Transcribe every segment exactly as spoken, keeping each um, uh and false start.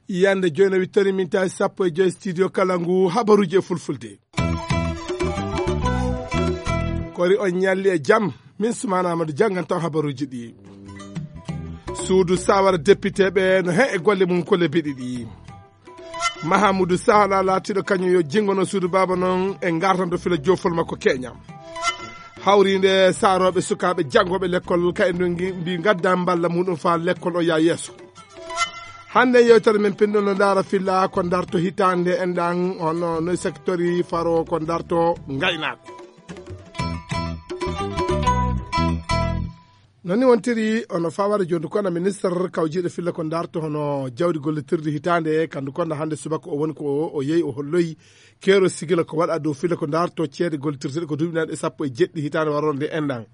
Yande joyno wittani min tawi sappo e joy studio kala ngu habaruji e fulfulde. Kori on ñalli e jam, min Sumana Amadou jannganto habaruji ɗi. Suudu sawara député ɓe no he e golle mum kole biɗi ɗi. Mahamoudou Sala laatiɗo kañum yo jingono suudu baba non e ngartanto fila jofol makko keñam. Hawrinde saroɓe sukaɓe janngoɓe lekkol ka e ndu mbi gadda mballa muɗum fa lekkol o ya yeeso. Hannde yewtere men pinɗo no ndaara filla ko ndarto hitaande enɗan hono no secteur faro ko ndarto ngaynaako. Noni wontiri ono fawara jondi kona ministre kawjiɗo filla ko ndarto hono jawdi gollitirdi hitaande kandu konda hannde subaka o woni ko o yehi o holloyi kero sigila ko waɗa dow filla ko ndarto ceede gollitirteɗe ko duuɓi naaɗe sappo e jeɗɗi hitaande warorde enɗan.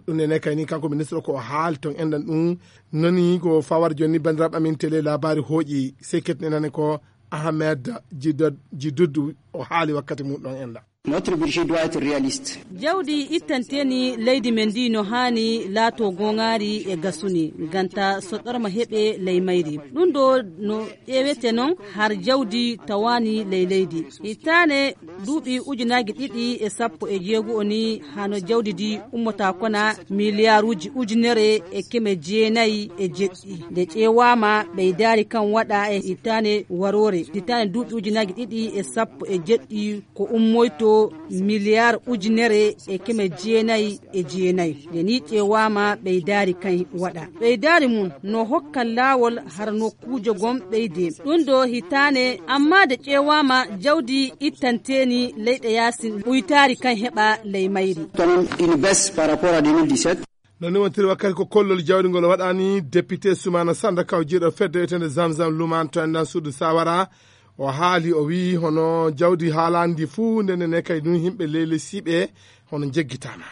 Ɗum nene kayni kanko ministre ko o haali ton enɗan ɗum. Noni ko fawar joni bandiraɓe amin télé labari hooƴi seket nenane ko ahmed jidod jiduddu o haali wakkati mum ɗon enɗan. Notre budget doit être réaliste. Jawdi ittanteni leydi men ndi no haani laato gongaari e gasuni ganta soɗɗorma heɓe ley mayri. Ɗum ɗo no ƴeewete noon har jawdi tawaani ley leydi. Hitaane duuɓi ujunaaji ɗiɗi e sappo e jeego o ni hano jawdi ndi ummota kona miliyaaruuji ujunere e keme jeenayi e jeɗɗi. Nde ƴeewaama ɓeydaari kan waɗa e hitaane waroore. Hitaane duuɓi ujunaaji ɗiɗi e sappo e jeɗɗi ko ummoyto miliyar ujunere e keme jeenayi e jeenayi. Nde ni ƴeewaama ɓeydaari kan waɗa. Ɓeydaari mum no hokka laawol har nokkuujo gom ɓeyde. Ɗum ɗo hitaane, amma nde ƴeewaama jawdi ittanteeni leyɗe yaasin ɓuytaari kan heɓa ley mayri. Quand même une baisse par rapport à deux mille dix-sept. No ni wontiri wakkati ko kollol jawdi ngol waɗani député Soumana Sanda kawjiɗo fedde etende Zamzam Luman to enɗan suudu Sawara. O haali o wi'i hono jawdi haalandi fuu ndene ne kay ɗum yimɓe leyli siɓe hono jeggitama.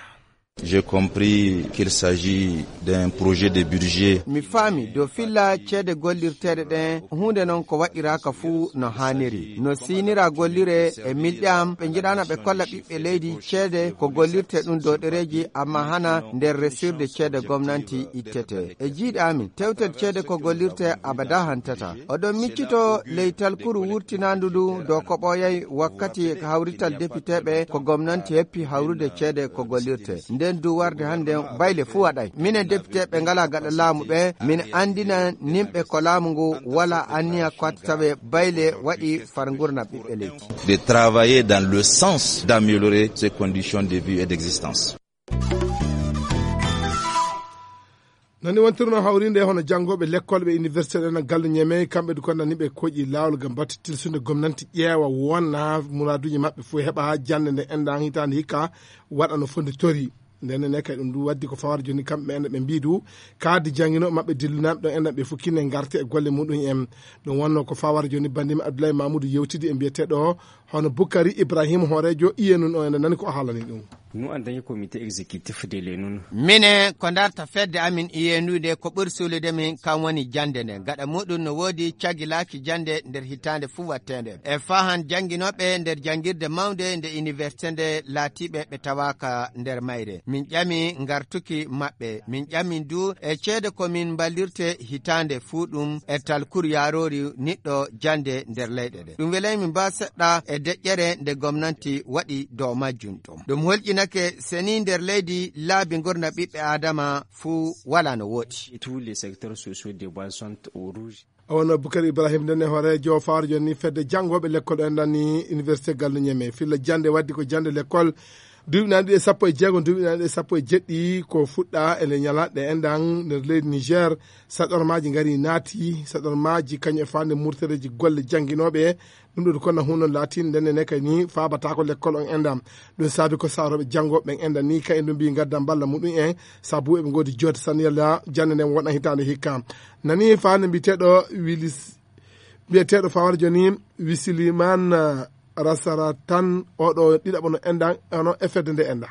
J'ai compris qu'il s'agit d'un projet de budget. Mi faami dow filla ceede gollirteeɗe ɗen huunde non ko waɗiraaka fuu no haaniri. No siinira gollire e milɗe am ɓe njiɗaana ɓe kolla ɓiɓɓe leydi ceede ko gollirte ɗum dow ɗereeji amma hana nder resirde ceede gomnanti ittete. E jiiɗe amin tewtel ceede ko gollirte abada hantata. Oɗon miccito ley talkuru wurtinaandu ndu dow ko ɓooyay wakkati hawrital depiteeɓe ko gomnanti heppi hawrude ceede ko gollirte. Nden du warde hannde bayle fuu waɗay. Minen depiteeɓe ngalaa gaɗa laamu ɓe, min anndina nimɓe ko laamu ngu walaa anniya ko watta tawe bayle waɗi far ngurna ɓiɓɓe leydi. De travailler dans le sens d'améliorer ses conditions de vie et d'existence. Nani wontirno hawrinde hono janngoɓe lekkol ɓe université ɗen e gallu ñeme kamɓe du konnani ɓe koƴi laawol ngam batte tilsude gomnanti ƴeewa wonna muraduji maɓɓe fof heɓa jannde nde enɗan hitaande hikka waɗa no fondi tori. Nden ne kay ɗum du waddi ko fawar joni kamɓe ɓe enɗan ɓe mbidu kaadi janngino maɓɓe dillunaaɓe ɗo enɗan ɓe fof kinne ngarte e golle muɗum en. Ɗum wonno ko fawar joni bandimi Abdoulaye Mamoudou yewtidi e mbiyeteɗo hono Boukari Ibrahima hoorejo iyenu no enɗan nani ko o haalani ɗum. Nous en tant que comité exécutif de l'enun. Minen ko darta fedde amin iyenude ko ɓuri suulude min kan woni jannde nde gaɗa muɗum no woodi cagilaaki jannde nder hitaande fuu wattende e fahan jannginooɓe nder janngirde mawnde nde université nde laatiiɓe ɓe tawaaka nder mayre min ƴami ngartuki maɓɓe min ƴami du e ceede ko min mballirte hitaande fuu ɗum e talkur yaaroori niɗɗo jannde nder leyɗe ɗe ɗum welay min mbaa seɗɗa e deƴƴere nde gomnanti waɗi dow majjum ɗum ɗum holƴinake seni nder leydi laabi ngurna ɓiɓɓe adama fuu wala no woɗi. Tous les secteurs sociaux de base sont au rouge. Awano Boukari Ibrahim nden e hoorejo fawar joni fedde janngoɓe lekkol ɗo enɗan ni université gallu ñeme filla jannde waddi ko jannde lekkol duuɓi nani ɗiɗi e sappo e jeego duuɓi nani ɗiɗi e sappo e jeɗɗi ko fuɗɗa e nde ñalaɗe enɗan nder leydi Niger. Saɗormaji ngari naati saɗormaji kañum e fande murtereji golle jannginooɓe. Ɗum ɗo kono huno laati ndenne ne kay ni faabatako lekkol on enɗam. Ɗum saabi ko saroɓe janngo ɓen enɗan ni kay ɗum mbi gaddan balla muɗum en sabu eɓe ngoodi jodde saniyalla jannde nden wona hitaande hikka. Nani fande mbiyeteɗo wilis mbiyeteɗo fawar joni wisiliman rasara tan oɗo ɗiɗaɓo no enɗan ono e fedde nde enɗan.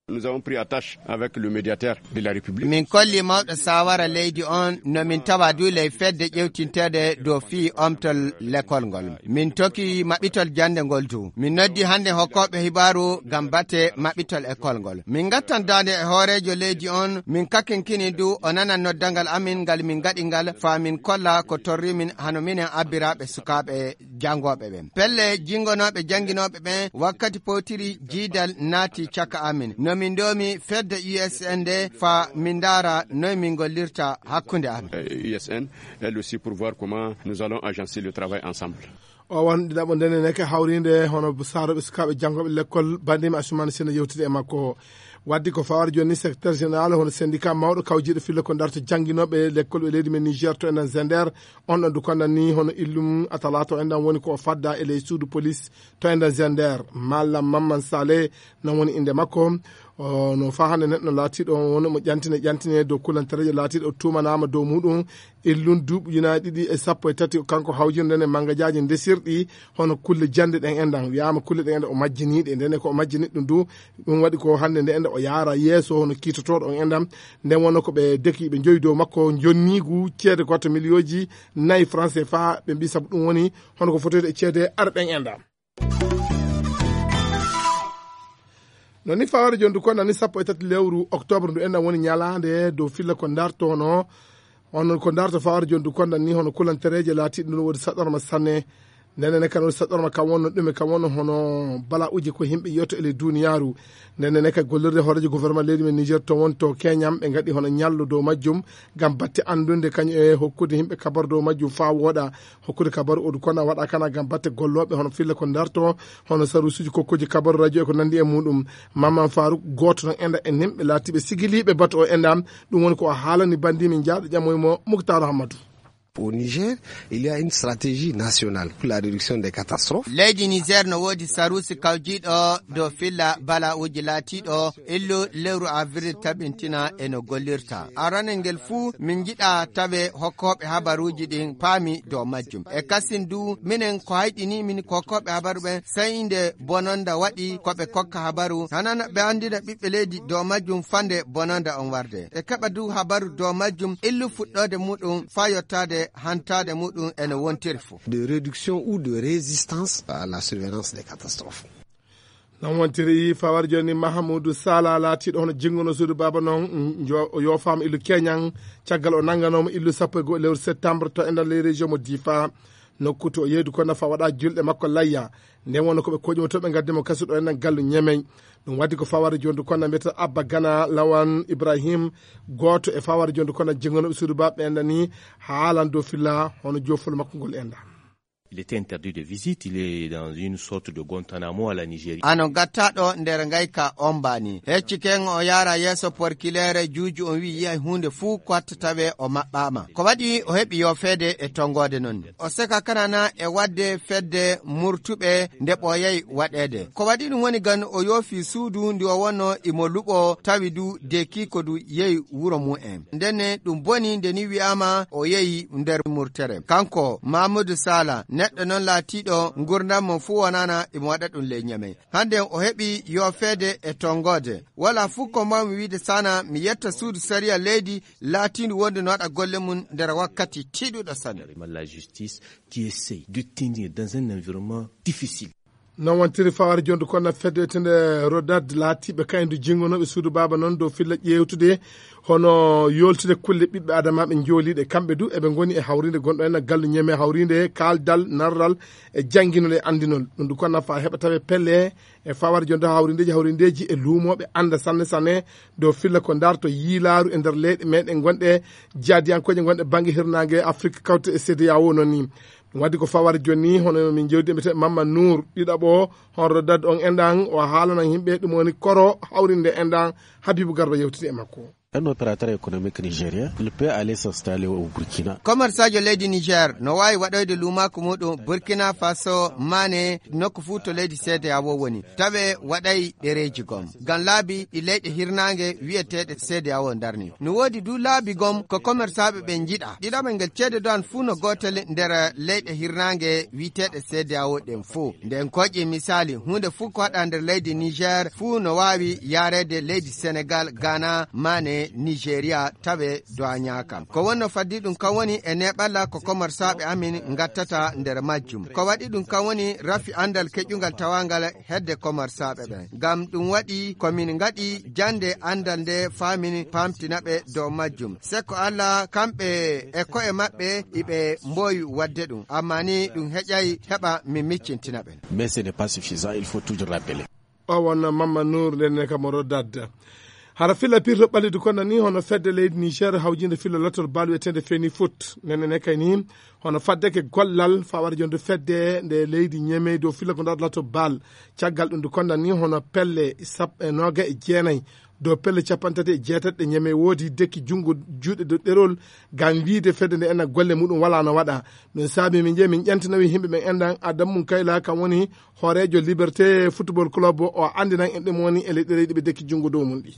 Nous avons pris attache avec le médiateur de la République. Min kolli mawɗo sawara leydi on no min tawa du ley fedde ƴewtinteede dow fii omtol lekol ngol. Min toki maɓɓitol jannde ngol du. Min noddi hannde hokkooɓe hibaaru ngam bate maɓɓitol ekol ngol. Min ngattan daande e hooreejo leydi on, min kakinkini du o nana noddangal amin ngal min ngaɗi ngal faa min kolla ko torri min hano minen abbiraaɓe sukaaɓe janngooɓe ɓen. Pelle jinngonooɓe jannginooɓe ɓen wakkati powtiri jiidal naati caka amin. No min ndoomi fedde U S N nde faa min ndaara noy min ngollirta hakkunde amin. Euh, U S N, elle aussi, pour voir comment nous allons agencer le travail ensemble. O won ɗiɗaɓo ndene neke hawrinde hono saroɓe sukaaɓe janngooɓe lekkol banndimi Asumani Sena yewtide e makko. Waddi ko fawar jooni secrétaire général hono syndicat mawɗo kawjiiɗo filla ko darto jannginooɓe lekkol e leydi men Niger to enen Zender. On ɗon dukandan ni hono illum atalaato en ɗan woni ko o fadda e ley suudu police to enen Zender. Mallam Mamman Saleh non woni innde makko. O no faa hannde neɗɗo laatiiɗo on woni mo ƴantine ƴantine dow kulantareeje laatiiɗo o tuumanaama dow muɗum illun duuɓi ujunaaji ɗiɗi e sappo e tati kanko hawjirde nden e mangajaaji ndesirɗi hono kulle jannde ɗen enɗan. Wiyaama kulle ɗen enɗan o majjiniiɗe, nden e ko o majjini ɗum du ɗum waɗi ko hannde nde enɗan o yaara yeeso hono kiitotooɗo on enɗan. Nden wonno ko ɓe deki ɓe njowi dow makko jonniigu ceede ko watta miliyooji nayi franc C F A. Ɓe mbi sabu ɗum woni hono ko fotoyde e ceede ar ɗen enɗan. No ni faware jondu konda ni sappo e tati lewru octobre ndu enɗan woni ñalaande dow filla ko dartono. On ko darto faware jondu konda ni hono kulantereeje laatiiɗe ɗum woodi saɗɗorma sanne. Ndene ne kan woodi saɗɗorma kan wonno ɗume kan wonno hono bala'uji ko yimɓe yiyata e ley duniyaaru. Ndene ne ka gollirde hooreejo gouvernement leydi men Niger to won to Keñam ɓe ngaɗi hono ñallu dow majjum ngam batte anndude kañum e hokkude yimɓe kabar dow majjum faa wooɗa. Hokkude kabaru odu kona waɗa kana ngam batte gollooɓe hono filla ko darto hono sarusuji kokkoji kabaru radio e ko nandi e muɗum. Mamman Farouk gooto tan enɗa e nimɓe laatiiɓe sigiliiɓe batu o enɗam. Ɗum woni ko o haalani banndi min jaaɗo ƴamoy mo Muktar Hammadou. Au Niger, il y a une stratégie nationale pour la réduction des catastrophes. Leydi Niger no woodi sarusi kawjiiɗo dow filla bala'uji laatiiɗo illu lewru avril tabintina e no gollirta. Aranel ngel fuu min njiɗa tawe hokkooɓe habaruuji ɗin paami dow majjum. E kasin du minen ko hayɗini min ko hokkooɓe habaru ɓen, sey nde bononda waɗi ko ɓe kokka habaru, hanana ɓe anndina ɓiɓɓe leydi dow majjum fande bononda on warde. Ɓe keɓa du habaru dow majjum illu fuɗɗoode muɗum faa yottaade hantaade muɗum e no wontiri fuu. De réduction ou de résistance à la surveillance des catastrophes. Non wontiri fawar jooni Mahamudu Sala laatiiɗo hono jinnguno suudu baaba noon, njo-, o yoofaama illu Keñan, caggal o nannganooma illu sappo e go'o lewru septembre to e nder ley région mo Difa. Nokku to o yeeydu ko nafa waɗa julɗe makko layya. Nden wonno ko ɓe koƴi mo to ɓe ngaddi mo kasu ɗo e nder gallu Ñemey. Ɗum waɗi ko fawar jooni ko na mbiyata Abba Gana Lawan Ibrahim, gooto e fawar jooni ko na jinngunooɓe suudu baaba ɓe enɗa ni haalan dow filla hono joofol makko ngol enɗa. Il était interdit de visite, il est dans une sorte de Guantanamo à la Nigeria. Ano gattaɗo nder ngayka ombani. Hecci ken o yara yeeso porkileere juuju on wi yiyay huunde fuu ko watta tawe o maɓɓaama. Ko waɗi o heɓi yoofeede e tongoode non. O seka kanana e waɗde fedde murtuɓe nde ɓooyay waɗeede. Ko waɗi ɗum woni gan o yoofi suudu ndi o wonno imo luɓo tawi du deekiiko du yehi wuro mum en. Ndenne ɗum boni nde ni wi'aama o yehi nder murtere. Kanko Mamadou Sala, neɗɗo noon laatiiɗo ngurndan mo fuu wonana imo waɗa ɗum ley Ñamey. Hannde o heɓi yoofeede e tongoode. Wala fuu ko mbaawmi wiide sana mi yetta suudu sariya leydi laatiindu wonde no waɗa golle mum nder wakkati tiiɗuɗo sanne. La justice qui essaye de tenir dans un environnement difficile. Non wontiri fawari jondu kono fedde wiyetende Rodad laatiiɓe kayndu jinngonooɓe suudu baaba noon dow filla ƴeewtude hono yooltude kulle ɓiɓɓe adamaaɓe njooliiɗe. Kamɓe du eɓe ngoni e hawriinde gonɗo en gallu Ñeme hawriinde kaaldal narral e jannginol e anndinol. Ɗum du kono nafa heɓa tawe pelle e fawari jondu hawriindeeji hawriindeeji e luumooɓe annda sanne sanne dow filla ko darto yiilaaru e nder leyɗe meɗen gonɗe jaadiyankooje gonɗe bannge hirnaange Afrik kawte e C D A O noon ni. Ɗum waɗi ko fawari jooni ni, hono min jewdi mbiyetee Mamma Nour, ɗiɗaɓo, hono Rodad on enɗan, o haalana yimɓe ɗum woni koro hawrinde enɗan, Habibu Garba yewtiti e makko. Un opérateur économique nigérien ne peut aller s'installer au Burkina. Commerçaajo leydi Niger no waawi waɗoyde luumaaku muuɗum Burkina Faso, Mane, nokku fuu to leydi C D A O woni, tawe waɗay ɗereeji gom. Ngam laabi ɗi leyɗe hirnaange wi'eteeɗe C D A O ndarni. No woodi du laabi gom ko commerçaaɓe ɓe njiɗa. Ɗiɗaɓel ngel ceede duwaan fuu no gootel nder leyɗe hirnaange wi'eteeɗe C D A O ɗen fuu. Nden kooƴe misaali, huunde fuu ko waɗa nder leydi Niger fuu no waawi yaareede leydi Senegal, Ghana, Mane, Nigeria, tawe duwaañaaka. Ko wonno faddi ɗum kan woni e neeɓalla ko commerçaaɓe amin ngattata nder majjum. Ko waɗi ɗum kan woni rafi anndal keƴungal tawaangal hedde commerçaaɓe ɓen. Ngam ɗum waɗi ko min ngaɗi jannde anndal nde faa min paamtina ɓe dow majjum. Sekko Alla, kamɓe e ko'e maɓɓe iɓe mboowi waɗde ɗum. Amma ni ɗum heƴay heɓa min miccintina ɓe. Mais ce n'est pas suffisant, il faut toujours rappeler. O won Mamma Nour, nden ne kam oɗo dadda. Hara filla pirto ɓallidu konda ni hono fedde leydi Niger hawjinde filla lotol bal wi'eteende Feni Foot. Nden ne kay ni hono faddeke gollal fa wara jonde fedde nde leydi Ñemey dow filla ko ndaar lotol bal. Caggal ɗum du konda ni hono pelle sappo e nooga e jeenay dow pelle capanɗe tati e jeetati ɗe Ñemey woodi dekki junngo juuɗe dow ɗerol ngam wiide fedde nde ena golle muɗum wala no waɗa. Ɗum saabi min jeeyi min ƴantinowi yimɓe ɓen enɗan Adamu Mum Kayla kam woni hooreejo Liberté Football Club o anndinan en ɗum woni e leyɗe leyɗe ɓe dekki junngo dow mum ɗi.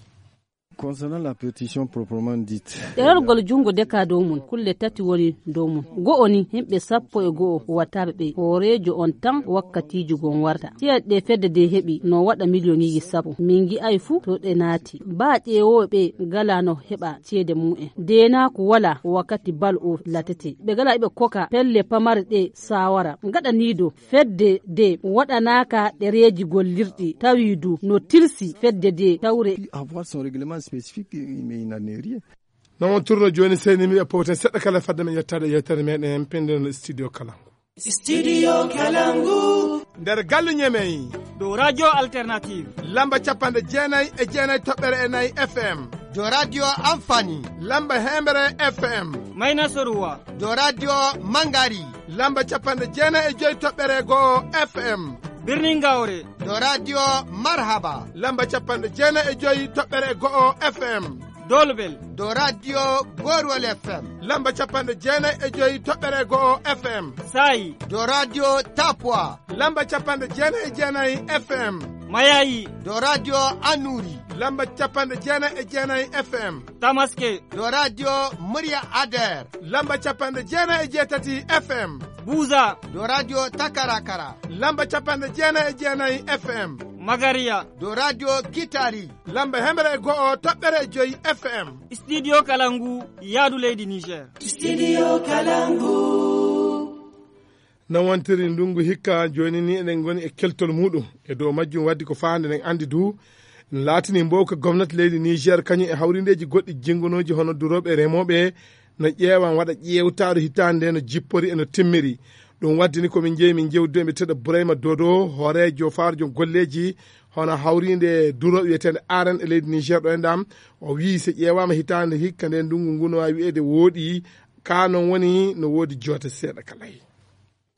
Concernant la pétition proprement dite. Ɗerorgol junngo deka dow mum, kulle tati woni dow mum. Go'o ni, yimɓe sappo e go'o wattaaɓe ɓe. Hooreejo on tan wakkatiiji gon warta. Ceeɗe ɗe fedde de heɓi no waɗa miliyoŋiiji sappo. Min ngi'ay fuu to ɗe naati. Baa ƴeewooɓe ɓe gala no heɓa ceede mu'en. Deenaaku wala wakkati bal o latete. Ɓe gala ɓe koka pelle pamare ɗe saawara. Gaɗaniido fedde de waɗanaaka ɗereeji gollirɗi, tawi du no tilsi fedde de tawre. Avoir son règlement spécifique, mais il n'en est rien. Non, on tourne jooni seyni mi e powten seɗɗa kala fadde men yettaade yewtere meɗen pinndere studio kala. Studio Kalangu. Nder galle Ñemey. Dow Radio Alternative. Lamba capanɗe jeenay e jeenay toɓɓere e nayi F M. Dow Radio Amfani. Lamba heemere F M. Mayna Soruwa. Dow Radio Mangari. Lamba capanɗe jeenay e joy toɓɓere go'o F M. Birnin Gawre. Dow Radio Marhaba. Lamba capanɗe jeenay e joy toɓɓere go'o F M. Dolbel. Dow Radio Gorwal F M. Lamba capanɗe jeenay e joy toɓɓere go'o F M. Saayi. Dow Radio Tapwa. Lamba capanɗe jeenay e jeenay F M. Mayayi. Dow Radio Anuri. Lamba capanɗe jeenay e jeenay F M. Tamaske. Dow Radio Murya Ader. Lamba capanɗe jeenay e jeetati F M. Buza. Dow Radio Takarakara. Lamba capanɗe jeenay e jeenay F M. Magariya. Dow Radio Kitari. Lamba hemre e go'o toɓɓere e joy F M. Studio Kalangu, yaadu leydi Niger. Studio Kalangu. No wontiri ndungu hikka, jooni ni eɗen ngoni e keltol muɗum. E dow majjum waddi ko faande eɗen anndi du, laatini mbowka gomnati leydi Niger, kañum e hawrindeeji goɗɗi jinngonooji hono durooɓe e remooɓe, no ƴeewan waɗa ƴeewtaare hitaande nde no jippori e no timmiri. Ɗum waddi ni ko min njeyi min jewtude e mbiteeɗo Burayma Dodo, hooreejo faarjo golleeji hono hawriinde durooɓe wiyeteende Aren e leydi Niger ɗo e ndam. O wiyi so ƴeewaama hitaande hikka nde ndungu ngu no waawi wiyeede wooɗi, ka noon woni no woodi joote seeɗa ka layi.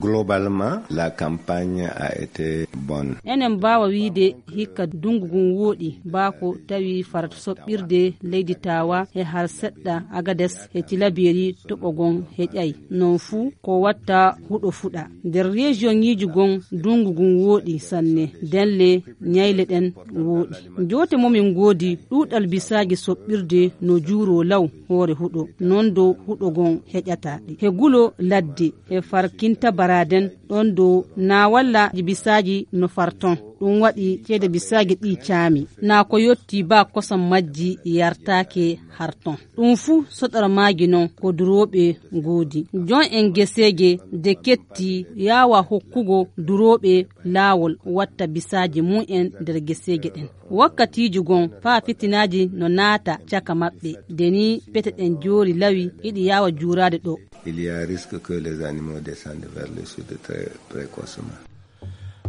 Globalement, la campagne a été bonne. Enen mbaawa wiide hikka ndungu ngun wooɗi, baa ko tawi farata soɓɓirde leydi Tawa e har seɗɗa Agades e Tilaberi toɓo gon heƴay. Non fuu ko watta huɗo fuɗa. Nder région ŋiiji gon ndungu ngun wooɗi sanne, nden le ñayle ɗen wooɗi. Joote mo min ngoodi ɗuuɗal bisaaji soɓɓirde no juuroo law hoore huɗo, non dow huɗo gon heƴata ɗi. He gulo ladde, he farkinta baraden, ɗon dow naawalla bisaaji no farton. Ɗum waɗi ceede bisaaji ɗi caami. Naa ko yotti baa kosam majji yartaake harton. Ɗum fuu soɗormaaji non ko durooɓe ngoodi. Jon en geseeje de ketti yaawa hokkugo durooɓe laawol watta bisaaji mum en nder geseeje ɗen. Wakkatiiji gon faa fitinaaji no naata caka maɓɓe. De ni pete ɗen joori lawi hiɗi yaawa juuraade ɗo. Il y a risque que les animaux descendent vers le sud très précocement.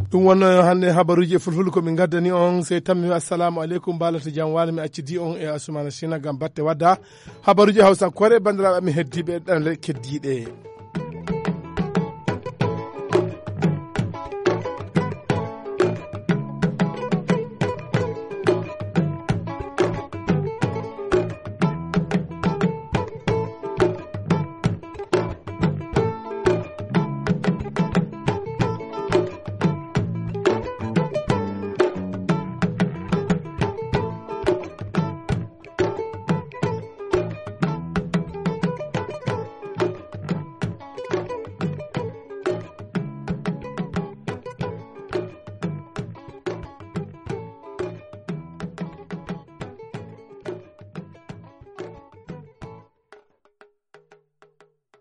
Ɗum wonno hannde habaruuji e fulfulde ko min ngaddani on. Sey tammi, assalamu aleykum, mbaalata jam waalo, mi accidi on e Asumana Sina ngam batte wadda habaruuji Hawsa Kore, banndiraaɓe amin heddiiɓe ɗanle keddiiɗe.